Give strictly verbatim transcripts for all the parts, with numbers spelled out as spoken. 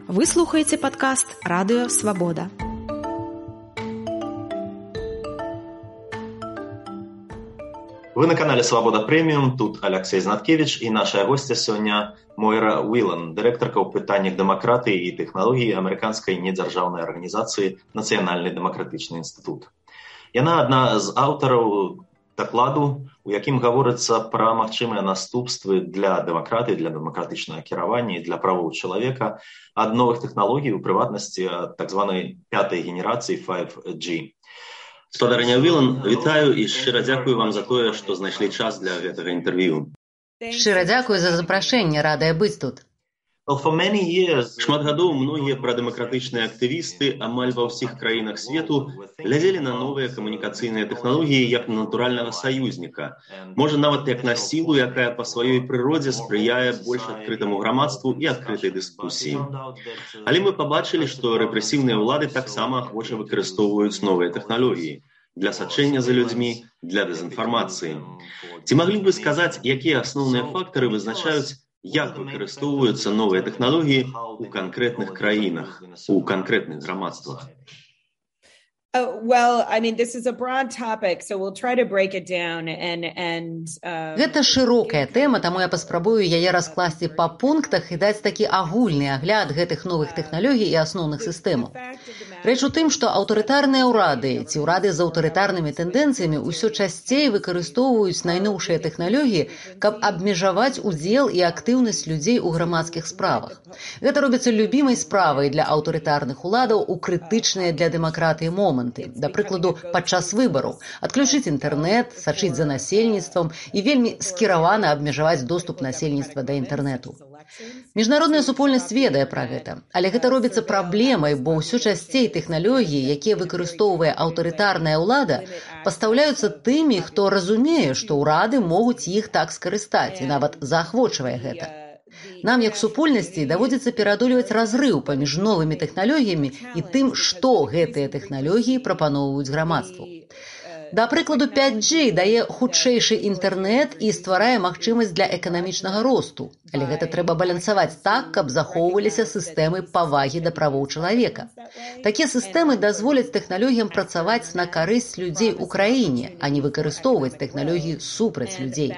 Вы слухаеце падкаст «Радыё Свабода». Вы на канале «Свабода Премиум», тут Алексей Знаткевич и наша гостья сегодня Мойра Уилан, директорка ў пытаннях дэмакратыі і тэхналогій амерыканскай недзяржаўнай арганізацыі «Нацыянальны дэмакратычны інстытут». Яна адна з аўтараў дакладу, у якім гаворыцца пра магчымыя наступствы для дэмакратыі, для дэмакратычнага кіравання і для правоў чалавека ад новых тэхналогій, у прыватнасці ад так званай пятай генерацыі файв джі. Спадарыня Уилан, вітаю і шчыра дзякую вам за тое, што знайшлі час для гэтага інтэрв'ю. Шчыра дзякую за запрашэнне, радая быць тут. Шмат гадоў многія прадэмакратычныя актывісты амаль ва ўсіх краінах свету глядзелі на новыя камунікацыйныя тэхналогіі як на натуральнага саюзніка. Можа, нават як на сілу, якая па сваёй прыродзе спрыяе больш адкрытаму грамадству і адкрытай дыскусіі. Але мы пабачылі, што рэпрэсіўныя ўлады таксама ахвоча выкарыстоўваюць новыя тэхналогіі для сачэння за людзьмі, для дэзінфармацыі. Ці маглі б вы сказаць, якія асноўныя фактары вызначаюць, як выкарыстоўваюцца новыя тэхналогіі ў канкрэтных краінах, у канкрэтных грамадствах? Uh, well, I mean, this is a broad topic, so we'll try to break it down and and uh... Гэта шырокая тэма, таму я паспрабую яе раскласці па пунктах і даць такі агульны агляд гэтых новых тэхналогій і асноўных сістэмаў. Рэч у тым, што аўтарытарныя ўрады ці ўрады з аўтарытарнымі тэндэнцыямі ўсё часцей выкарыстоўваюць найноўшыя тэхналогіі, каб абмежаваць удзел і актыўнасць людзей у грамадскіх справах. Гэта робіцца любімай справай для аўтарытарных уладаў у крытычныя для дэмакратыі моманты. Да прыкладу, падчас выбараў адключыць інтэрнэт, сачыць за насельніцтвам і вельмі скіравана абмежаваць доступ насельніцтва да інтэрнэту. Міжнародная супольнасць ведае пра гэта, але гэта робіцца праблемай, бо ўсё часцей тэхналогіі, якія выкарыстоўвае аўтарытарная ўлада, пастаўляюцца тымі, хто разумее, што ўрады могуць іх так скарыстаць і нават заахвочвае гэта. Нам, як супольнасці, даводзіцца пераадольваць разрыў паміж новымі тэхналогіямі і тым, што гэтыя тэхналогіі прапаноўваюць грамадству. Да прыкладу, пяць джі дае хутчэйшы інтэрнэт і стварае магчымасць для эканамічнага росту. Але гэта трэба балансаваць так, каб захоўваліся сістэмы павагі да правоў чалавека. Такія сістэмы дазволяць тэхналогіям працаваць на карысць людзей у краіне, а не выкарыстоўваць тэхналогіі супраць людзей.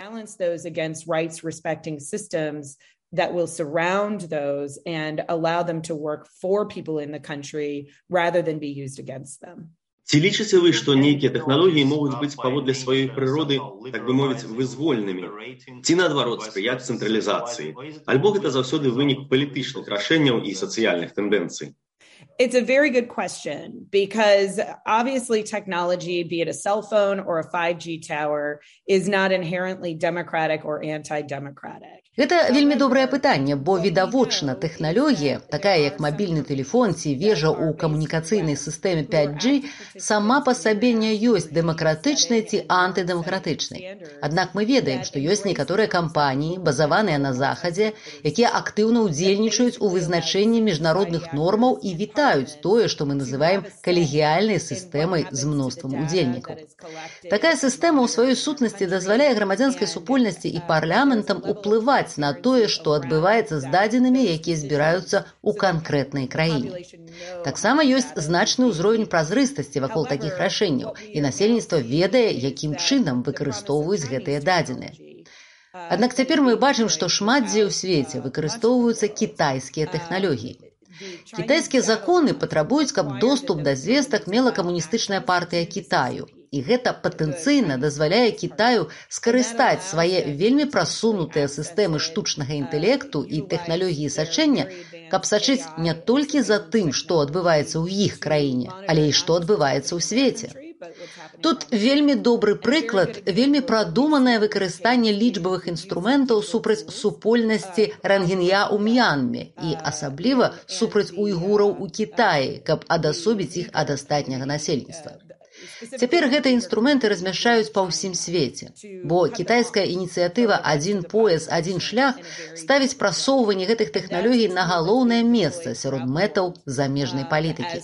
That will surround those and allow them to work for people in the country rather than be used against them. Ці лічыце вы, што нейкія тэхналогіі могуць быць паводле сваёй прыроды, так бы мовіць, вызвольнымі? Ці, наадварот, спрыяць цэнтралізацыі? Альбо гэта заўсёды вынік палітычных рашэнняў і сацыяльных тэндэнцый? It's a very good question because obviously technology, be it a cell phone or a five G tower, is not inherently democratic or anti-democratic. Гэта вельмі добрае пытанне, бо відавочна тэхналогія, такая як мабільны тэлефон ці вежа ў камунікацыйнай сістэме пяць джі, сама па сабе не ёсць дэмакратычнай ці антыдэмакратычнай. Аднак мы ведаем, што ёсць некаторыя кампаніі, базаваныя на Захадзе, якія актыўна ўдзельнічаюць у вызначэнні міжнародных нормаў і вітаюць тое, што мы называем калегіяльнай сістэмай з мноствам удзельнікаў. Такая сістэма ў сваёй сутнасці дазваляе грамадзянскай супольнасці і парламентам уплываць на тое, што адбываецца з дадзенымі, якія збіраюцца ў канкрэтнай краіне. Таксама ёсць значны ўзровень празрыстасці вакол такіх рашэнняў, і насельніцтва ведае, якім чынам выкарыстоўваюць гэтыя дадзеныя. Аднак цяпер мы бачым, што шмат дзе ў свеце выкарыстоўваюцца кітайскія тэхналогіі. Кітайскія законы патрабуюць, каб доступ да звестак мела камуністычная партыя Кітаю. І гэта патэнцыйна дазваляе Кітаю скарыстаць свае вельмі прасунутыя сістэмы штучнага інтэлекту і тэхналогіі сачэння, каб сачыць не толькі за тым, што адбываецца ў іх краіне, але і што адбываецца ў свеце. Тут вельмі добры прыклад, вельмі прадуманае выкарыстанне лічбавых інструментаў супраць супольнасці рангін'я ў М'янме і асабліва супраць уйгураў у Кітаі, каб адасобіць іх ад астатняга насельніцтва. Цяпер гэтыя інструменты размяшчаюць па ўсім свеце, бо кітайская ініцыятыва «Адзін пояс, адзін шлях» ставіць прасоўванне гэтых тэхналогій на галоўнае месца сярод мэтаў замежнай палітыкі.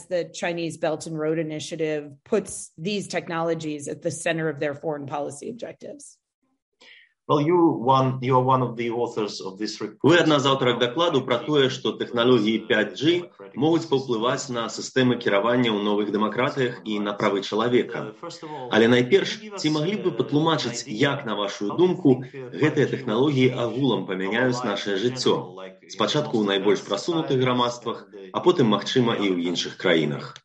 Well, you one, you are one of the authors of this report. Вы адна з аўтарак дакладу пра тое, што тэхналогіі пяць джі могуць паўплываць на сістэмы кіравання ў новых дэмакратыях і на правы чалавека. Але найперш, ці маглі б вы патлумачыць, як, на вашу думку, гэтыя тэхналогіі агулам памяняюць нашае жыццё? Спачатку ў найбольш прасунутых грамадствах, а потым, магчыма, і ў іншых краінах.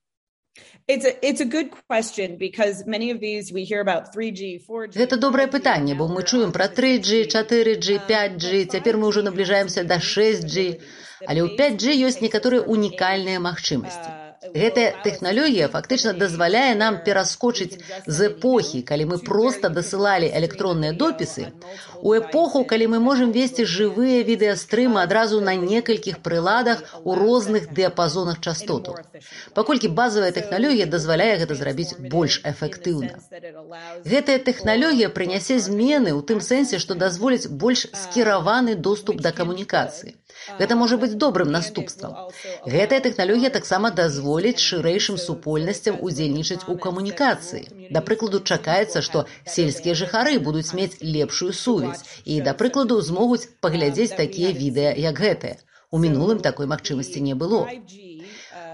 It's a, it's a good question because many of these we hear about three G, four G. Гэта добрае пытанне, бо мы чуем пра тры джі, чатыры джі, пяць джі, цяпер мы ўжо набліжаемся да шэсць джі, але ў пяць джі ёсць некаторыя унікальныя магчымасці. Гэтая тэхналогія фактычна дазваляе нам пераскочыць з эпохі, калі мы проста дасылалі электронныя допісы, у эпоху, калі мы можам весці жывыя відэастрымы адразу на некалькіх прыладах у розных дыяпазонах частотаў. Паколькі базавая тэхналогія дазваляе гэта зрабіць больш эфектыўна. Гэтая тэхналогія прынясе змены ў тым сэнсе, што дазволіць больш скіраваны доступ да камунікацыі. Гэта можа быць добрым наступствам. Гэтая тэхналогія таксама дазволіць шырэйшым супольнасцям удзельнічаць у камунікацыі. Да прыкладу, чакаецца, што сельскія жыхары будуць мець лепшую сувязь і, да прыкладу, змогуць паглядзець такія відэа, як гэтае. У мінулым такой магчымасці не было.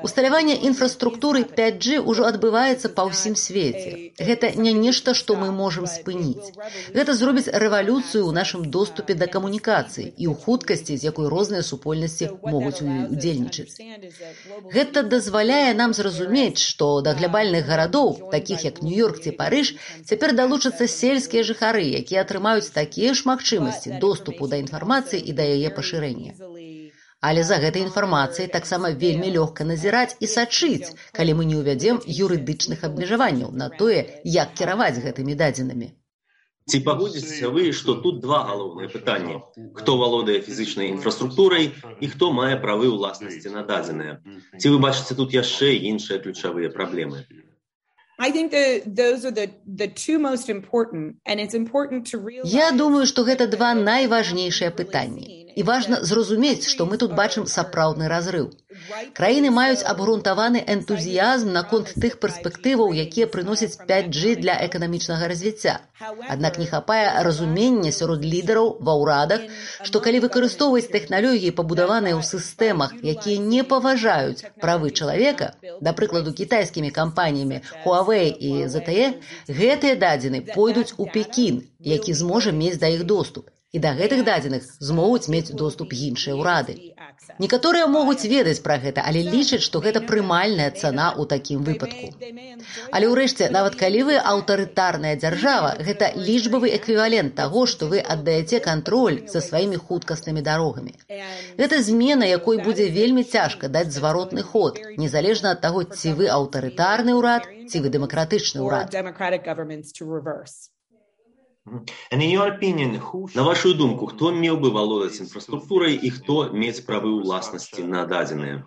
Усталяванне інфраструктуры пяць джі ўжо адбываецца па ўсім свеце. Гэта не нешта, што мы можам спыніць. Гэта зробіць рэвалюцыю ў нашым доступе да камунікацыі і ў хуткасці, з якой розныя супольнасці могуць у ёй удзельнічаць. Гэта дазваляе нам зразумець, што да глобальных гарадоў, такіх як Нью-Йорк ці Парыж, цяпер далучацца сельскія жыхары, якія атрымаюць такія ж магчымасці доступу да інфармацыі і да яе пашырэння. Але за гэтай інфармацыяй таксама вельмі лёгка назіраць і сачыць, калі мы не ўвядзем юрыдычных абмежаванняў на тое, як кіраваць гэтымі дадзенымі. Ці пагодзіцеся вы, што тут два галоўныя пытанні: хто валодае фізічнай інфраструктурай і хто мае правы ўласнасці на дадзеныя? Ці вы бачыце тут яшчэ іншыя ключавыя праблемы? I think that those are the the two most important, and it's important to realize. Я думаю, што гэта два найважнейшыя пытанні. І важна зразумець, што мы тут бачым сапраўдны разрыў. Краіны маюць абгрунтаваны энтузіязм наконт тых перспектываў, якія прыносяць пяць джі для эканамічнага развіцця. Аднак не хапае разумення сярод лідараў ва ўрадах, што калі выкарыстоўваць тэхналогіі, пабудаваныя ў сістэмах, якія не паважаюць правы чалавека, да прыкладу кітайскімі кампаніямі Huawei і зет тэ е, гэтыя дадзены пойдуць у Пекін, які зможа мець да іх доступ. І да гэтых дадзеных змогуць мець доступ іншыя ўрады. Некаторыя могуць ведаць пра гэта, але лічаць, што гэта прымальная цана ў такім выпадку. Але ўрэшце, нават калі вы аўтарытарная дзяржава, гэта лічбавы эквівалент таго, што вы аддаеце кантроль за сваімі хуткаснымі дарогамі. Гэта змена, якой будзе вельмі цяжка даць зваротны ход, незалежна ад таго, ці вы аўтарытарны ўрад, ці вы дэмакратычны ўрад. На вашу думку, хто меў бы валодаць інфраструктурай і хто мець правы ўласнасці на дадзеныя?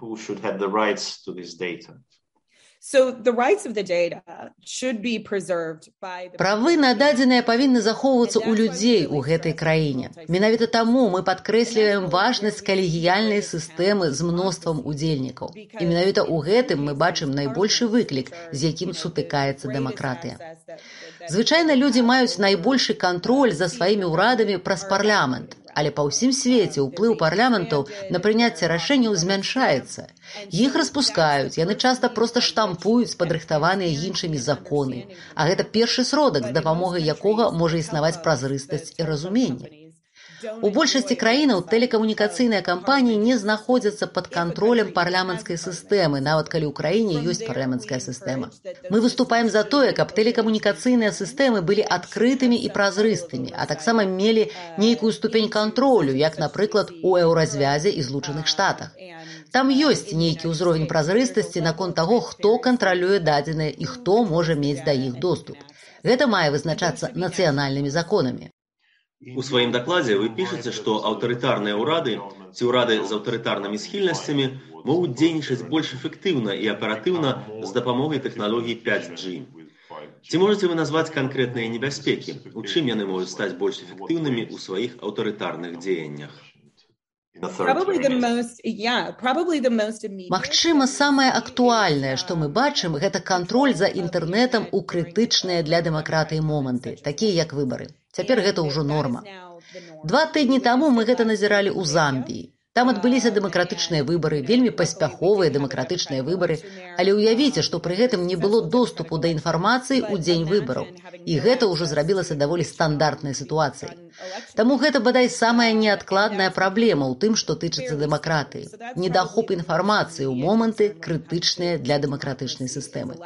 Правы на дадзеныя павінны захоўвацца ў людзей у гэтай краіне. Менавіта таму мы падкрэсліваем важнасць калегіяльнай сістэмы з мноствам удзельнікаў. І менавіта ў гэтым мы бачым найбольшы выклік, з якім сутыкаецца дэмакратыя. Звычайна людзі маюць найбольшы кантроль за сваімі ўрадамі праз парламент, але па ўсім свеце ўплыў парламентаў на прыняцце рашэнняў змяншаецца. Іх распускаюць, яны часта проста штампуюць падрыхтаваныя іншымі законы, а гэта першы сродак, з дапамогай якога можа існаваць празрыстасць і разуменне. У большасці краінаў тэлекамунікацыйныя кампаніі не знаходзяцца пад кантролем парламенцкай сістэмы, нават калі ў краіне ёсць парламенцкая сістэма. Мы выступаем за тое, каб тэлекамунікацыйныя сістэмы былі адкрытымі і празрыстымі, а таксама мелі нейкую ступень кантролю, як, напрыклад, у еўразвязе і Злучаных Штатах. Там ёсць нейкі ўзровень празрыстасці наконт таго, хто кантралюе дадзеныя і хто можа мець да іх доступ. Гэта мае вызначацца нацыянальнымі законамі. У сваім дакладзе вы пішаце, што аўтарытарныя ўрады ці ўрады з аўтарытарнымі схільнасцямі могуць дзейнічаць больш эфектыўна і аператыўна з дапамогай тэхналогій пяць джі. Ці можаце вы назваць канкрэтныя небяспекі? У чым яны могуць стаць больш эфектыўнымі ў сваіх аўтарытарных дзеяннях? Магчыма, самае актуальнае, што мы бачым, гэта кантроль за інтэрнэтам у крытычныя для дэмакратыі моманты, такія як выбары. Цяпер гэта ўжо норма. Два тыдні таму мы гэта назіралі ў Замбіі. Там адбыліся дэмакратычныя выбары, вельмі паспяховыя дэмакратычныя выбары, але ўявіце, што пры гэтым не было доступу да інфармацыі ў дзень выбараў. І гэта ўжо зрабілася даволі стандартнай сітуацыяй. Таму гэта, бадай, самая неадкладная праблема ў тым, што тычыцца дэмакратыі. Недахоп інфармацыі ў моманты, крытычныя для дэмакратычнай сістэмы.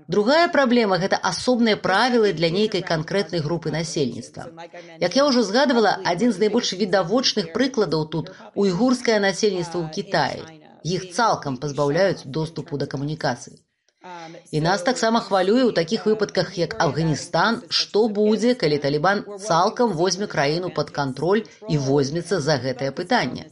Другая праблема – гэта асобныя правілы для нейкай канкрэтнай групы насельніцтва. Як я ўжо згадывала, адзін з найбольш відавочных прыкладаў тут – уйгурскае насельніцтва ў Кітаі. Іх цалкам пазбаўляюць доступу да камунікацый. І нас таксама хвалюе ў такіх выпадках, як Афганістан, што будзе, калі Талібан цалкам возьме краіну пад кантроль і возьмецца за гэтае пытанне.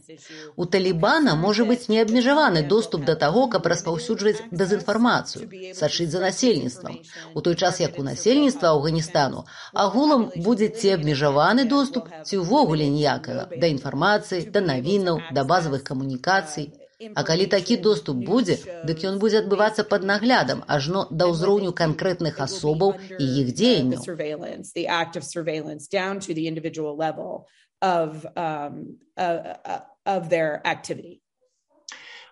У Талібана можа быць неабмежаваны доступ да таго, каб распаўсюджваць дэзінфармацыю, сачыць за насельніцтвам, у той час як у насельніцтва Афганістану агулам будзе ці абмежаваны доступ, ці ўвогуле ніякага да інфармацыі, да навінаў, да базавых камунікацый. А калі такі доступ будзе, дык ён будзе адбывацца пад наглядам, ажно да ўзроўню канкрэтных асобаў і іх дзеянняў.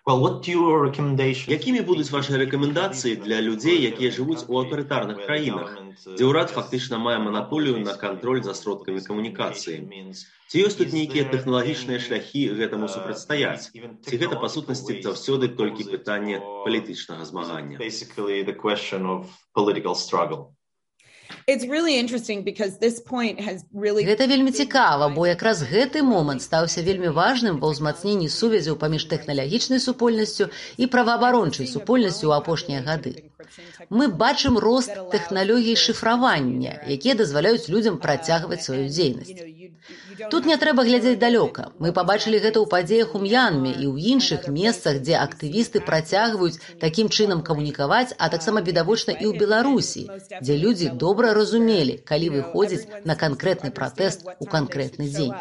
Well, what your recommendation? Якімі будуць ваши рэкамендацыі для людзей, якія жывуць у аўтарытарных краінах, дзе ўрад фактычна мае манаполію на кантроль за сродкамі камунікацыі? Ці ёсць тут нейкія тэхналагічныя шляхі гэтаму супрацьстаяць? Ці гэта, па сутнасці, заўсёды толькі пытанне палітычнага змагання? Basically, the question of political struggle. It's really interesting because this point has really... Гэта вельмі цікава, бо якраз гэты момант стаўся вельмі важным ва ўзмацненні сувязяў паміж тэхналагічнай супольнасцю і праваабарончай супольнасцю ў апошнія гады. Мы бачым рост тэхналогій шыфравання, якія дазваляюць людзям працягваць сваю дзейнасць. Тут не трэба глядзець далёка. Мы пабачылі гэта ў падзеях у М'янме і ў іншых месцах, дзе актывісты працягваюць такім чынам камунікаваць, а таксама відавочна і ў Беларусі, дзе людзі добра разумелі, калі выходзіць на канкрэтны пратэст у канкрэтны дзень.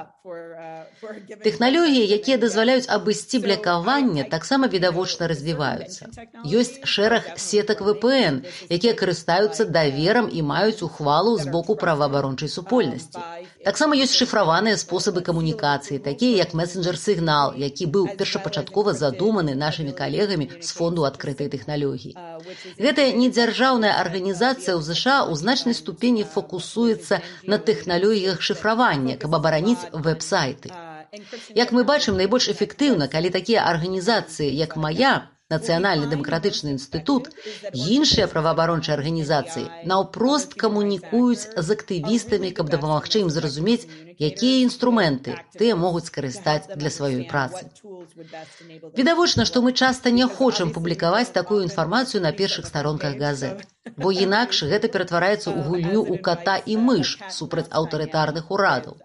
Тэхналогіі, якія дазваляюць абысці блакаванне, таксама відавочна развіваюцца. Ёсць шэраг сетак вэ пэ эн, якія карыстаюцца даверам і маюць ухвалу з боку праваабарончай супольнасці. Таксама ёсць шыфраваныя спосабы камунікацыі, такія як месенджер-сігнал, які быў першапачаткова задуманы нашымі калегамі з фонду адкрытай тэхналогіі. Гэтая недзяржаўная арганізацыя ў ЗША ў значнай ступені фокусуецца на тэхналогіях шыфравання, каб абараніць вэб-сайты. Як мы бачым, найбольш эфектыўна, калі такія арганізацыі, як мая, Нацыянальны дэмакратычны інстытут, іншыя праваабарончыя арганізацыі наўпрост камунікуюць з актывістамі, каб дапамагчы ім зразумець, якія інструменты тыя могуць скарыстаць для сваёй працы. Відавочна, што мы часта не хочам публікаваць такую інфармацыю на першых старонках газет, бо інакш гэта ператвараецца ў гульню ў ката і мыш супраць аўтарытарных урадаў.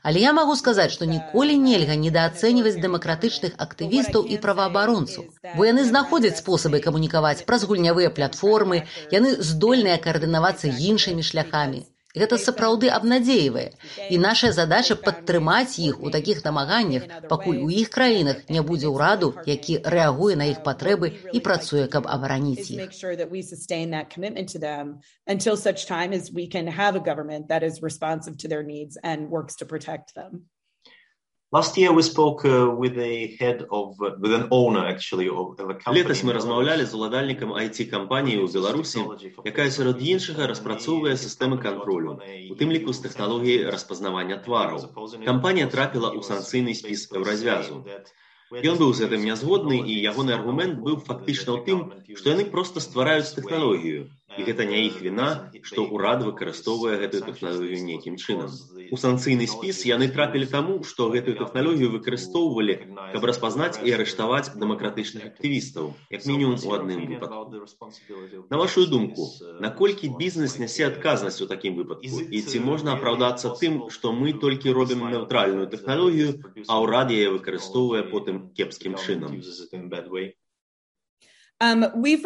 Але я магу сказаць, што ніколі нельга недаацэньваць дэмакратычных актывістаў і праваабаронцаў, бо яны знаходзяць спосабы камунікаваць праз гульнявыя платформы, яны здольныя каардынавацца іншымі шляхамі. Гэта сапраўды абнадзейвае, і наша задача падтрымаць іх у такіх намаганнях, пакуль у іх краінах не будзе ўраду, які рэагуе на іх патрэбы і працуе, каб абараніць іх. Until such time as we can have a government that is responsive to their needs and works to protect them. Last year we spoke uh, with a head of, uh, with an owner actually of a company. Летась мы размаўлялі з уладальнікам ай ти-кампаніі ў Беларусі, якая сярод іншага распрацоўвае сістэмы кантролю, у тым ліку з тэхналогіяй распазнавання твараў. Кампанія трапіла ў санкцыйны спіс Еўразвязу. Ён быў з гэтым нязгодны, і ягоны аргумент быў фактычна ў тым, што яны проста ствараюць тэхналогію. І гэта не іх віна, што ўрад выкарыстоўвае гэтую тэхналогію нейкім чынам. У санкцыйны спіс яны трапілі таму, што гэтую тэхналогію выкарыстоўвалі, каб распазнаць і арыштаваць дэмакратычных актывістаў, як мінімум у адным выпадку. На вашу думку, наколькі бізнес нясе адказнасць у такім выпадку? І ці можна апраўдацца тым, што мы толькі робім нейтральную тэхналогію, а ўрад яе выкарыстоўвае потым кепскім чынам? Мы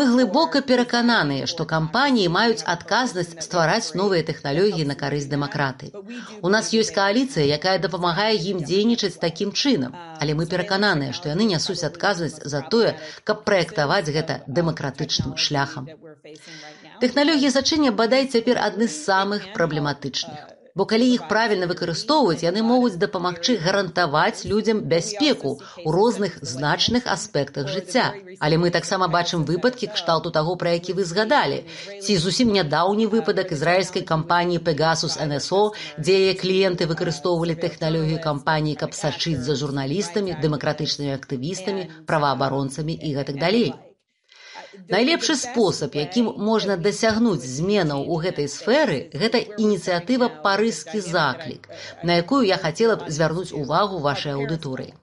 глыбока перакананыя, што кампаніі маюць адказнасць ствараць новыя тэхналогіі на карысць дэмакратыі. У нас ёсць кааліцыя, якая дапамагае ім дзейнічаць такім чынам, але мы перакананыя, што яны нясуць адказнасць за тое, каб праектаваць гэта дэмакратычным шляхам. Тэхналогіі зачынення бадай цяпер адны з самых праблематычных. Бо калі іх правільна выкарыстоўваць, яны могуць дапамагчы гарантаваць людзям бяспеку ў розных значных аспектах жыцця. Але мы таксама бачым выпадкі кшталту таго, пра які вы згадалі. Ці зусім нядаўні выпадак ізраільскай кампаніі Pegasus эн эс о, дзе яе кліенты выкарыстоўвалі тэхналогію кампаніі, каб сачыць за журналістамі, дэмакратычнымі актывістамі, праваабаронцамі і гэтак далей. Найлепшы спосаб, якім можна дасягнуць зменаў у гэтай сферы, гэта ініцыятыва «Парызкі заклік», на якую я хацела б звярнуць увагу вашай аўдыторыі.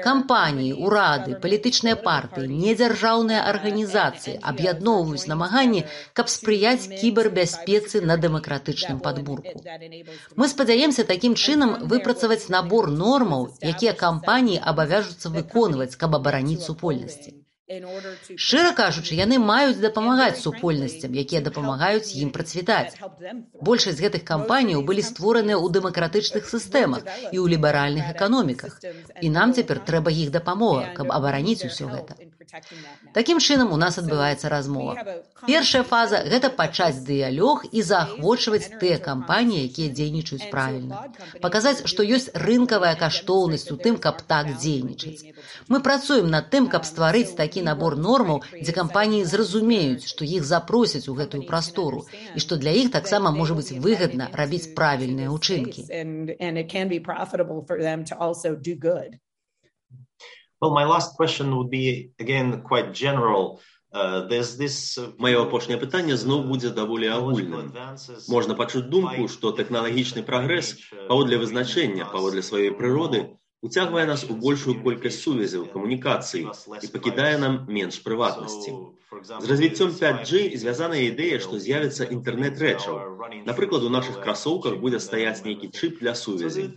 Кампаніі, урады, палітычныя партыі, недзяржаўныя арганізацыі аб'ядноўваюць намаганні, каб спрыяць кібербяспецы на дэмакратычным падмурку. Мы спадзяемся такім чынам выпрацаваць набор нормаў, якія кампаніі абавяжуцца выконваць, каб абараніць супольнасці. Шчыра кажучы, яны маюць дапамагаць супольнасцям, якія дапамагаюць ім працвітаць. Большасць гэтых кампаніяў былі створаныя ў дэмакратычных сістэмах і ў ліберальных эканоміках. І нам цяпер трэба іх дапамога, каб абараніць усё гэта. Такім чынам у нас адбываецца размова. Першая фаза – гэта пачаць дыялог і заахвочваць тыя кампаніі, якія дзейнічаюць правільна. Паказаць, што ёсць рынкавая каштоўнасць у тым, каб так дзейнічаць. Мы працуем над тым, каб стварыць такі набор нормаў, дзе кампаніі зразумеюць, што іх запросяць у гэтую прастору і што для іх таксама можа быць выгадна рабіць правільныя ўчынкі. Well, my last question would be, again, quite general. Uh, there's this... Маё апошняе пытанне зноў будзе даволі агульным. Можна пачуць думку, што тэхналагічны прагрэс, паводле вызначэння, паводле сваёй прыроды, уцягвае нас у большую колькасць сувязяў, камунікацый і пакідае нам менш прыватнасці. З развіццём пять джи звязана ідэя, што з'явіцца інтэрнэт рэчаў. Напрыклад, у нашых красоўках будзе стаяць нейкі чып для сувязі.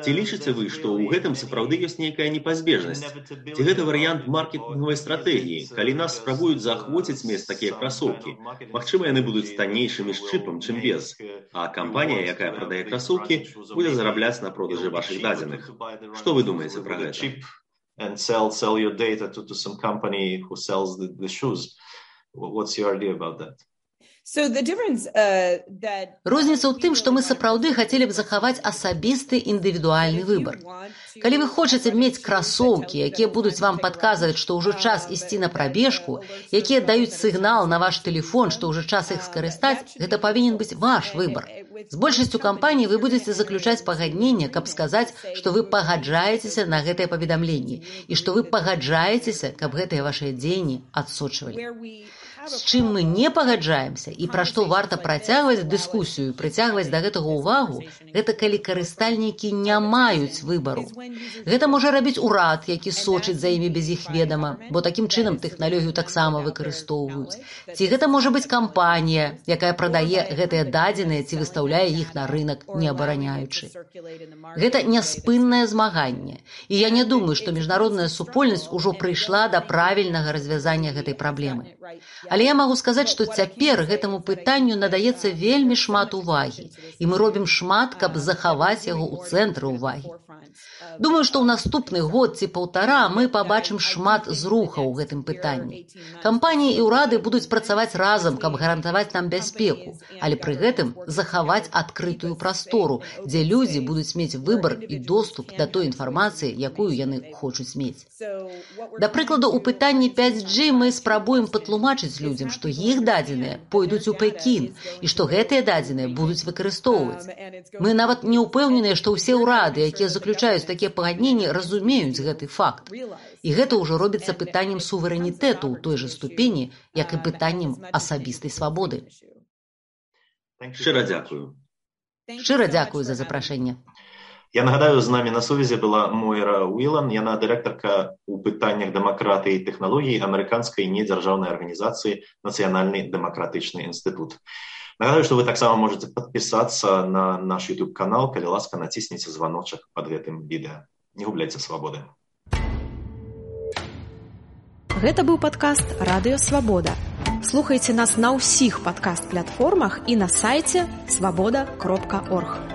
Ці лічыце вы, што ў гэтым сапраўды ёсць нейкая непазбежнасць? Ці гэта варыянт маркетынгавай стратэгіі, калі нас спрабуюць заахвоціць мець такія красоўкі? Магчыма, яны будуць таннейшымі з чыпам, чым без. А кампанія, якая прадае красоўкі, будзе зарабляць на продажы вашых дадзеных. Што вы думаеце пра гэта? And sell sell your data to, to some company who sells the, the shoes. What's your idea about that? So the difference, uh, that... Розніца ў тым, што мы сапраўды хацелі б захаваць асабісты індывідуальны выбар. Калі вы хочаце мець красоўкі, якія будуць вам падказваць, што ўжо час ісці на прабежку, якія даюць сігнал на ваш тэлефон, што ўжо час іх скарыстаць, гэта павінен быць ваш выбар. З большасцю кампаній вы будзеце заключаць пагадненне, каб сказаць, што вы пагаджаецеся на гэтыя паведамленні і што вы пагаджаецеся, каб гэтыя вашыя дзеянні адсочвалі. З чым мы не пагаджаемся і пра што варта працягваць дыскусію і прыцягваць да гэтага ўвагу, гэта калі карыстальнікі не маюць выбару. Гэта можа рабіць урад, які сочыць за імі без іх ведама, бо такім чынам тэхналогію таксама выкарыстоўваюць. Ці гэта можа быць кампанія, якая прадае гэтыя дадзеныя ці выстаўляе іх на рынак, не абараняючы. Гэта няспыннае змаганне. І я не думаю, што міжнародная супольнасць ужо прыйшла да правільнага развязання гэтай праблемы. Але я магу сказаць, што цяпер гэтаму пытанню надаецца вельмі шмат увагі, і мы робім шмат, каб захаваць яго ў цэнтры ўвагі. Думаю, што ў наступны год ці паўтара мы пабачым шмат зрухаў у гэтым пытанні. Кампаніі і ўрады будуць працаваць разам, каб гарантаваць нам бяспеку, але пры гэтым захаваць адкрытую прастору, дзе людзі будуць мець выбар і доступ да той інфармацыі, якую яны хочуць мець. Да прыкладу, у пытанні пять джи мы спрабуем патлумачыць людзям, што іх дадзеныя пойдуць у Пекін і што гэтыя дадзеныя будуць выкарыстоўваць. Мы нават не ўпэўненыя, што ўсе ўрады, якія заключаюць такія пагадненні, разумеюць гэты факт. І гэта ўжо робіцца пытаннем суверэнітэту ў той жа ступені, як і пытаннем асабістай свабоды. Шчыра дзякую. Шчыра дзякую за запрашэнне. Я нагадаю, з намі на сувязі была Мойра Уілан, яна дырэктарка ў пытаннях дэмакратыі і тэхналогій амерыканскай недзяржаўнай арганізацыі Нацыянальны дэмакратычны інстытут. Нагадаю, што вы таксама можаце падпісацца на наш YouTube-канал, калі ласка, націсніце званочак пад гэтым відэа. Не губляйце свабоды. Гэта быў падкаст «Радыё Свабода». Слухайце нас на ўсіх падкаст-платформах і на сайце свабода кропка орг.